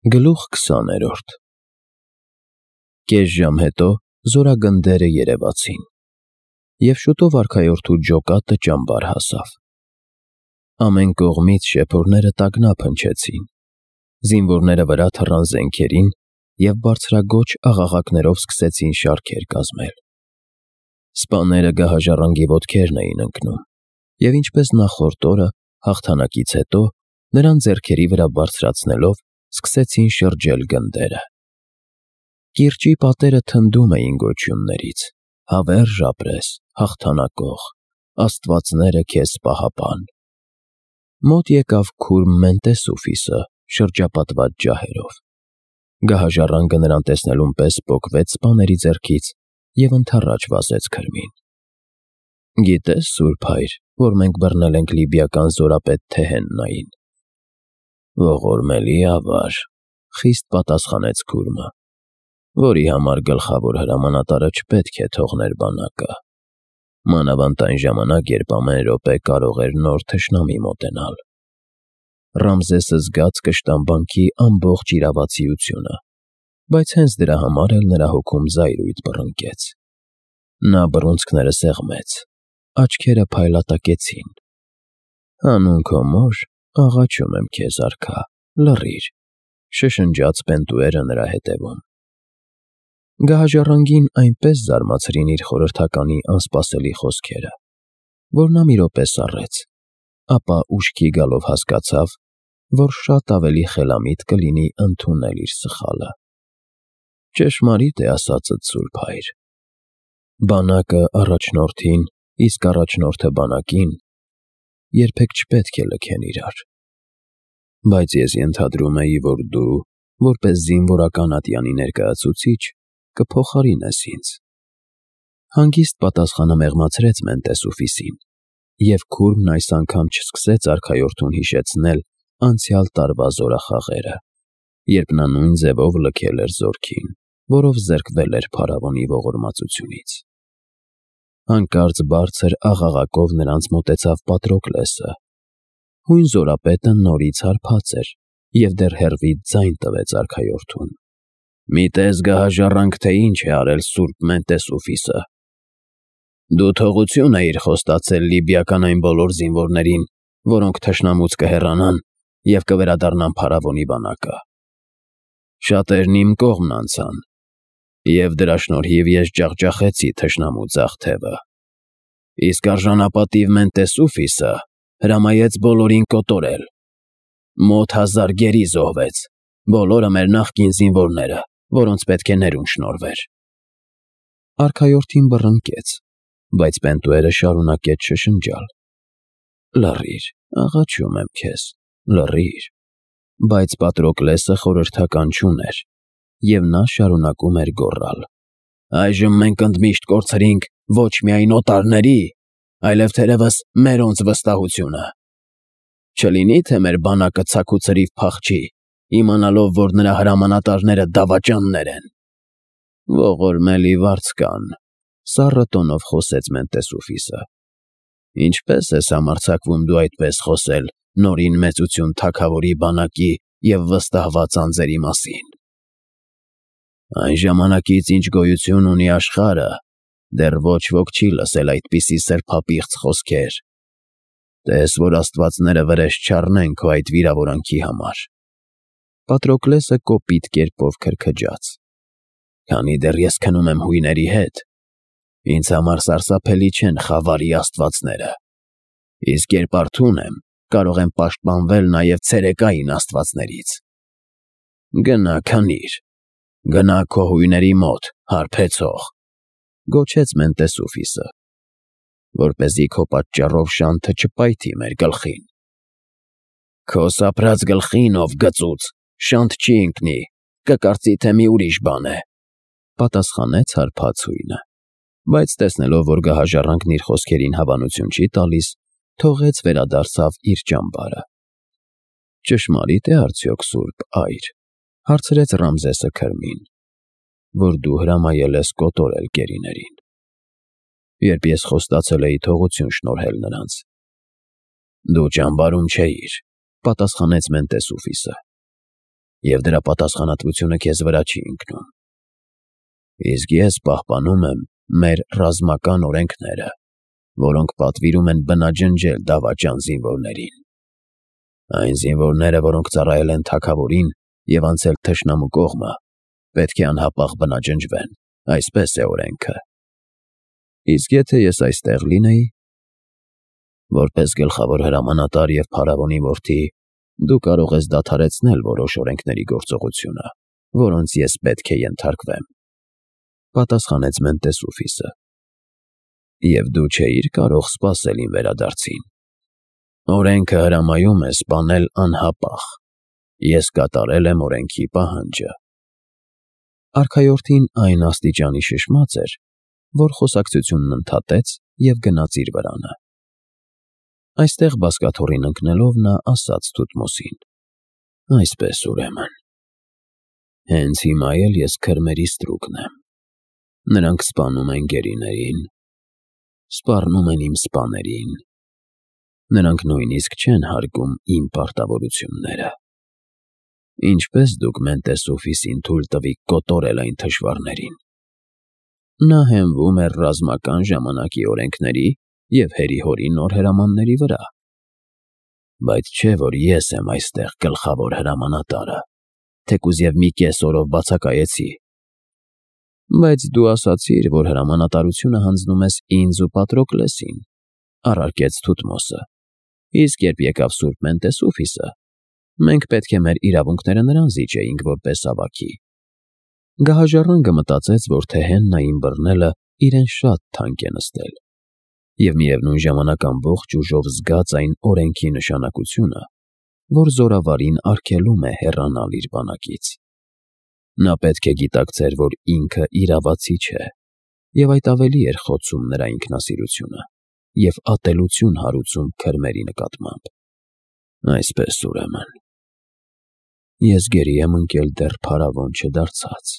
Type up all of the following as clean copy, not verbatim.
Գլուխ 20 Կես ժամ հետո զորագնդերը երևացին, և շուտով արքայորդու ջոկատը ճամբար հասավ. ամեն կողմից շեփորները տագնապ հնչեցին, զինվորները վրա թռան զենքերին և բարձրաձոչ աղաղակներով սկսեցին շարքեր կազմել. սպաները գահաժառանգի ոտքերն էին ընկնում, և ինչպես նախորդ օրը, հաղթանակից հետո, նրան ձեռքերի վրա բարձրացնելով, սկսեցին շրջել գնդերը. կիրճի պատերը թնդում էին գոչյուններից. հավերժ ապրես, հաղթանակող, աստվածները քեզ պահապան: Մոտ եկավ քուրմ Մենտեսուֆիսը շրջապատված ջահերով: Գահաժառանգը նրան տեսնելուն պես պոկվեց սպաների ձեռքից և ընդառաջ վազեց քրմին: Գիտե՞ս, սուրբ հայր, որ մենք բռնել ենք լիբիական զորապետ Թեհեննային: Ողորմելի ավար, խիստ պատասխանեց քուրմը, որի համար գլխավոր հրամանատարը չպետք է թողներ բանակը, մանավանդ այն ժամանակ, երբ ամեն րոպե կարող էր նոր թշնամի մոտենալ: Ռամզեսը զգաց կշտամբանքի ամբողջ իրավացիությունը, բայց հենց դրա համար էլ նրա հոգում զայրույթ բռնկեց: Նա բռունցքները սեղմեց, աչքերը փայլատակեցին: Հանուն քո մոր, աղաչում եմ քեզ, արքա, լռիր, շշնջաց Պենտուերը նրա հետևում: Գահաժառանգին այնպես զարմացրին իր խորհրդականի անսպասելի խոսքերը, որ նա մի րոպե սառեց, ապա ուշքի գալով հասկացավ, որ շատ ավելի խելամիտ կլինի ընդունել իր սխալը: Ճշմարիտ է ասածդ, սուրբ հայր: Բանակը առաջնորդին, իսկ առաջնորդը բանակին երբեք չպետք է լքեն իրար: Բայց ես ենթադրում էի, որ դու, որպես զինվորական ատյանի ներկայացուցիչ, կփոխարինես ինձ: Հանգիստ պատասխանը մեղմացրեց Մենտեսուֆիսին, և քուրմն այս անգամ չսկսեց արքայորդուն հիշեցնել անցյալ տարվա զորախաղերը, երբ նա նույն ձևով լքել էր զորքին, որով զրկվել էր փարավոնի ողորմածությունից: Հանկարծ բարձր աղաղակով նրանց մոտեցավ Պատրոկլեսը: Հույն զորապետը նորից հարբած էր և դեռ հեռվից ձայն տվեց արքայորդուն. Մի տես գահաժառանգ, թե ինչ է արել սուրբ Մենտեսուֆիսը: Դու թողություն էիր խոստացել լիբիական այն բոլոր զինվորներին, որոնք թշնամուց կհեռանան և կվերադառնան փարավոնի բանակը: Շատերն իմ կողմն անցան, և դրա շնորհիվ ես ջախջախեցի թշնամու ձախ թևը: Իսկ արժանապատիվ Մենտեսուֆիսը հրամայեց բոլորին կոտորել: Մոտ 1000 գերի զոհվեց, բոլորը մեր նախկին զինվորները, որոնց պետք է ներում շնորհվեր: Արքայորդին բռնկեց, բայց Պենտուերը շարունակեց շշնջալ. Լռիր, աղաչում եմ քեզ, լռիր: Բայց Պատրոկլեսը խորհրդական չուներ, և նա շարունակում էր գոռալ. Այժմ մենք ընդմիշտ կորցրինք ոչ միայն օտարների, այլև թերևս մերոնց վստահությունը: Չլինի՞ թե մեր բանակը ցաք ու ցրիվ փախչի, իմանալով, որ նրա հրամանատարները դավաճաններ են: Ողորմելի վարձկան, սառը տոնով խոսեց Մենտեսուֆիսը, ինչպե՞ս ես համարձակվում դու այդպես խոսել Նորին Մեծություն թագավորի բանակի և վստահված անձերի մասին: Այն ժամանակից, ինչ գոյություն ունի աշխարհը, դեռ ոչ ոք չի լսել այդպիսի սրբապիղծ խոսքեր: Տես, որ աստվածները վրեժ չառնեն քո այդ վիրավորանքի համար: Պատրոկլեսը կոպիտ կերպով քրքջաց. Քանի դեռ ես քնում եմ հույների հետ, ինձ համար սարսափելի չեն խավարի աստվածները, իսկ երբ արթուն եմ, կարող եմ պաշտպանվել նաև ցերեկային աստվածներից: Գնա քնիր, գնա քո հույների մոտ, հարբեցող, գոչեց Մենտեսուֆիսը, որպեսզի քո պատճառով շանթը չպայթի մեր գլխին: Քո սափրած գլխին, ով գծուծ, շանթ չի ընկնի, կկարծի, թե մի ուրիշ բան է, պատասխանեց հարբած հույնը, բայց տեսնելով, որ գահաժառանգն իր խոսքերին հավանություն չի տալիս, թողեց վերադարձավ իր ճամբարը: Ճշմարիտ է արդյոք, սուրբ այր, հարցրեց Ռամզեսը քրմին, որ դու հրամայել ես կոտորել գերիներին: Երբ ես խոստացել էի թողություն շնորհել նրանց: Դու ճամբարում չէիր, պատասխանեց Մենտեսուֆիսը: և դրա պատասխանատվությունը քեզ վրա չի ընկնում։ Իսկ ես պահպանում եմ մեր ռազմական օրենքները, որոնք պատվիրում են բնաջնջել դավաճան զինվորներին։ Այն զինվորները, որոնք ծառայել են թագավորին և անցել թշնամու կողմը, պետք է անհապաղ բնաջնջվեն, այսպես է օրենքը։ Իսկ եթե ես այստեղ լինեի, որպես գլխավոր հրամանատար և փարավոնի որդի, դու կարող ես դադարեցնել որոշ օրենքների գործողությունը, որոնց ես պետք է ենթարկվեմ, պատասխանեց Մենտեսուֆիսը։ Եվ դու չէիր կարող սպասել իմ վերադարձին։ Օրենքը հրամայում է սպանել անհապաղ։ Ես կատարել եմ օրենքի պահանջը։ Արքայորդին այն աստիճանի շշմած էր, որ խոսակցությունն ընդհատեց և գնաց իր վրանը։ Այստեղ բազկաթոռին ընկնելով նա ասաց Թութմոսին. «Այսպես ուրեմն, հենց հիմա էլ ես քրմերի ստրուկն եմ։ Նրանք սպանում են գերիներին, սպառնում են իմ սպաներին։ Նրանք նույնիսկ չեն հարգում իմ պարտավորությունները։ Ինչպես դուք Մենտեսուֆիսին թույլ տվիք կոտորել այն թշվառներին։ Նա հենվում էր ռազմական ժամանակի օրենքների և հերի-հորի նոր հրամանների վրա։ Բայց չէ, որ ես եմ այստեղ գլխավոր հրամանատարը, թեկուզ և մի կես օրով բացակայեցի։ Բայց դու ասացիր, որ հրամանատարությունը հանձնում ես ինձ ու Պատրոկլեսին, առարկեց Թութմոսը։ Իսկ երբ եկավ սուրբ Մենտեսուֆիսը, մենք պետք է մեր իրավունքները նրան զիջեինք որպես ավագի։ Գահաժառանգը մտածեց, որ թե Հեննային բռնելը իրեն շատ թանկ է նստել, և միևնույն ժամանակ ամբողջ ուժով զգաց այն օրենքի նշանակությունը, որ զորավարին արգելում է հեռանալ իր բանակից։ Նա պետք է գիտակցեր, որ ինքը իրավացի չէ, և այդ ավելի էր խոցում նրա ինքնասիրությունը և ատելություն հարուցում քրմերի նկատմամբ։ Այսպես ուրեմն, ես գերի եմ ընկել դեռ փարավոն չդարձած։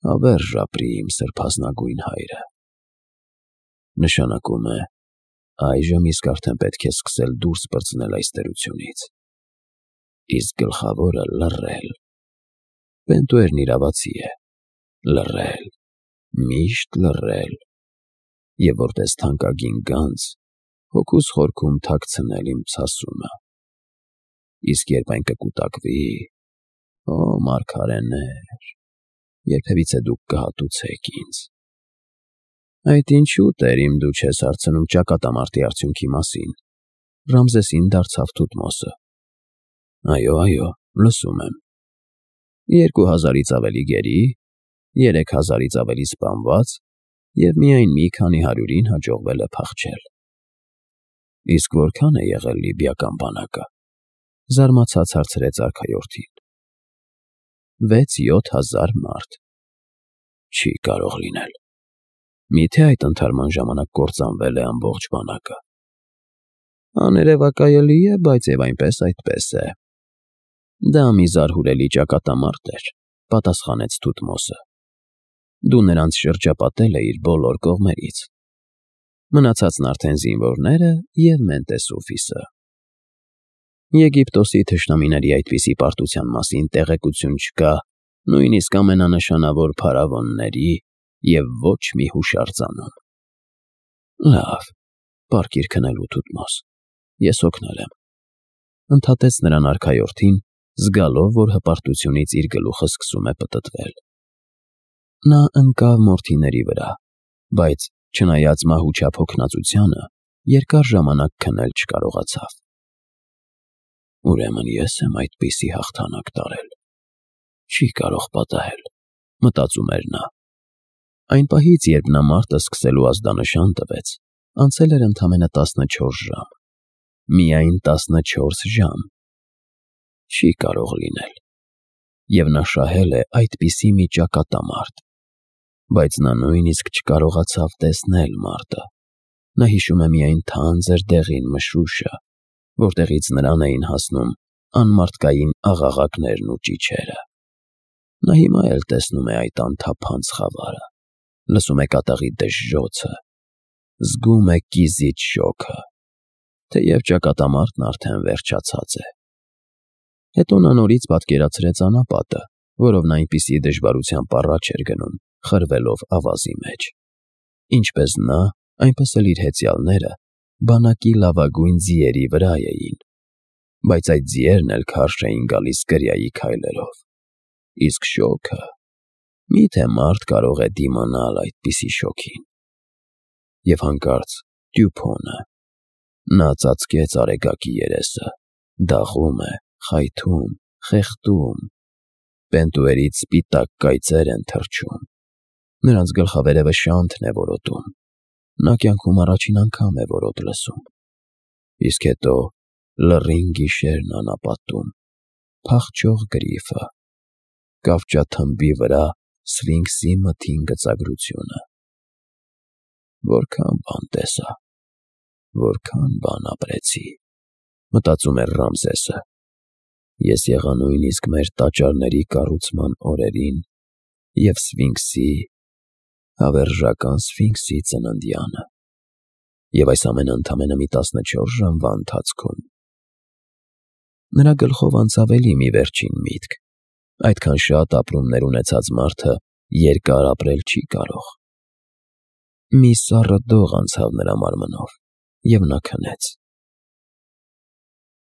Հավերժ ապրի իմ սրբազնագույն հայրը։ Նշանակում է, այժմ իսկ արդեն պետք է սկսել դուրս պրծնել այս տերությունից։ Իսկ գլխավորը լռել։ Պենտուերն իրավացի է, լռել, միշտ լռել, և որպես թանկագին գանձ հոգուս խորքում թաքցնել իմ ցասումը։ Իսկ երբ այն կկուտակվի, օ մարգարեներ, երբևիցե դուք կհատուցեք ինձ։ Այդ ինչու, տերիմ, դու չես հարցնում ճակատամարտի արդյունքի մասին, Ռամզեսին դարձավ Թութմոսը։ Այո, լսում եմ։ 2000-ից ավելի գերի, 3000-ից ավելի սպանված և միայն մի քանի հարյուրին հաջողվել է փախչել։ Իսկ որքան է եղել լիբիական բանակը, զարմացած հարցրեց արքայորդին։ 6-7 հազար մարդ։ Չի կարող լինել։ Միթե այդ ընդհարման ժամանակ կործանվել է ամբողջ բանակը։ Աներևակայելի է, բայց և այնպես այդպես է։ Դա մի զարհուրելի ճակատամարտ էր, պատասխանեց Թութմոսը։ Դու նրանց շրջապատել էիր բոլոր կողմերից։ Մնացածն արդեն զինվորները և Մենտեսուֆիսը։ Եգիպտոսի թշնամիների այդպիսի պարտության մասին տեղեկություն չկա նույնիսկ ամենանշանավոր փարավոնների և ոչ մի հուշարձանում։ Լավ, պառկիր քնելու, Թութմոս, ես օգնել եմ, ընդհատեց նրան արքայորդին, զգալով, որ հպարտությունից իր գլուխը սկսում է պտտվել։ Նա ընկավ մորթիների վրա, բայց չնայած մահուչափ հոգնածությանը, երկար ժամանակ քնել չկարողացավ։ Ուրեմն ես եմ այդպիսի հաղթանակ տարել։ Չի կարող պատահել, մտածում էր նա։ Այն պահից, երբ նա մարտը սկսելու ազդանշան տվեց, անցել էր ընդամենը 14 ժամ։ Միայն 14 ժամ։ Չի կարող լինել։ Եվ նա շահել է այդպիսի մի ճակատամարտ։ Բայց նա նույնիսկ չկարողացավ տեսնել մարտը։ Նա հիշում է միայն թանձր դեղին մշուշը, որտեղից նրան էին հասնում անմարդկային աղաղակներն ու ճիչերը։ Նա հիմա էլ տեսնում է այդ անթափանց խավարը, լսում է կատաղի դժժոցը, զգում է կիզիչ շոգը, թեև ճակատամարտն արդեն վերջացած է։ Հետո նա նորից պատկերացրեց անապատը, որով նա այնպիսի դժվարությամբ առաջ էր գնում, խրվելով ավազի մեջ։ Ինչպես նա, այնպես էլ իր հեծյալները բանակի լավագույն ձիերի վրա էին, բայց այդ ձիերն էլ քարշ էին գալիս կրիայի քայլերով։ Իսկ շոգը… Մի՞թե մարդ կարող է դիմանալ այդպիսի շոգին։ Եվ հանկարծ Տյուփոնը… Նա ծածկեց Արեգակի երեսը, դաղում է, խայթում, խեղդում, պենտուերից սպիտակ կայծեր են թռչում, նրանց գլխավերևը շանթն է որոտում, նա կյանքում առաջին անգամ է որոտ լսում։ Իսկ հետո լռին գիշերն անապատում, փախչող գրիֆը, կավճաթմբի վրա Սֆինքսի մթին գծագրությունը… Որքան բան տեսա, որքան բան ապրեցի, մտածում էր Ռամզեսը։ Ես եղա նույնիսկ մեր տաճարների կառուցման օրերին և Սֆինքսի, հավերժական Սֆինքսի ծննդյանը, և այս ամենը ընդամենը մի 14 ժամվա ընթացքում… Նրա գլխով անցավ էլի մի վերջին միտք. այդքան շատ ապրումներ ունեցած մարդը երկար ապրել չի կարող։ Մի սառը դող անցավ նրա մարմնով, և նա քնեց։